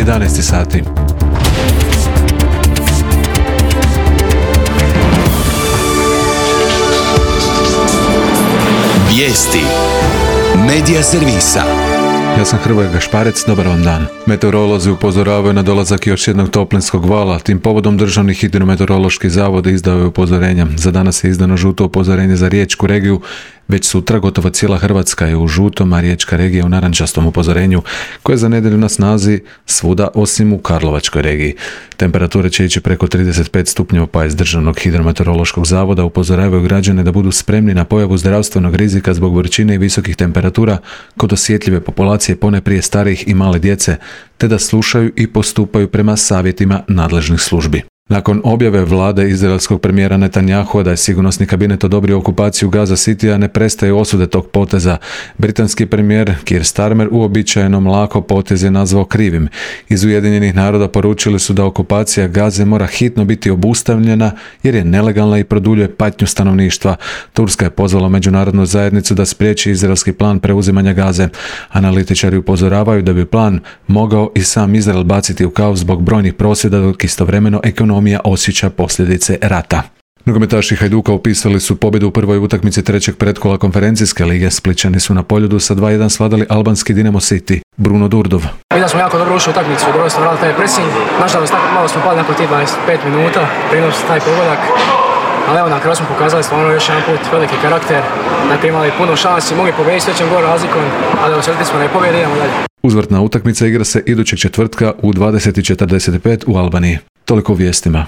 11 sati. Vijesti Medija servisa. Ja sam Hrvoje Gašparec, dobar vam dan. Meteorolozi upozoravaju na dolazak još jednog toplinskog vala. Tim povodom Državni hidrometeorološki zavod izdao je upozorenja. Za danas je izdano žuto upozorenje za riječku regiju. Već sutra gotovo cijela Hrvatska je u žutom, a riječka regija u narančastom upozorenju, koje je za nedjelju na snazi svuda osim u Karlovačkoj regiji. Temperature će ići preko 35 stupnjeva, pa iz Državnog hidrometeorološkog zavoda upozoravaju građane da budu spremni na pojavu zdravstvenog rizika zbog vrućine i visokih temperatura kod osjetljive populacije, ponajprije starijih i male djece, te da slušaju i postupaju prema savjetima nadležnih službi. Nakon objave vlade izraelskog premijera Netanyahua da je sigurnosni kabinet odobrio okupaciju Gaza Citya, ne prestaju osude tog poteza. Britanski premijer Keir Starmer uobičajeno mlako potez je nazvao krivim. Iz Ujedinjenih naroda poručili su da okupacija Gaze mora hitno biti obustavljena jer je nelegalna i produljuje patnju stanovništva. Turska je pozvala međunarodnu zajednicu da spriječi izraelski plan preuzimanja Gaze. Analitičari upozoravaju da bi plan mogao i sam Izrael baciti u kaos zbog brojnih prosvjeda, dok istovremeno ekonomija osjeća posljedice rata. Nogometaši Hajduka upisali su pobjedu u prvoj utakmici trećeg pretkola konferencijske lige. Splićani su na Poljudu sa 2:1 svladali albanski Dinamo City. Bruno Durdov. Vidim smo jako dobro ušli u utakmicu, dobro smo radili taj pressing. Nažalost, malo smo pali nakon tih 25 minuta, prinos taj pogodak. Ali evo, na kraju smo pokazali stvarno još jedan put veliki karakter. Dakle, imali puno šansi, mogli pobijediti s većim gol razlikom, ali osjetili smo na pobjedi, idemo dalje. Uzvrtna utakmica igra se idućeg četvrtka u 20:45 u Albaniji. Toliko u vijestima.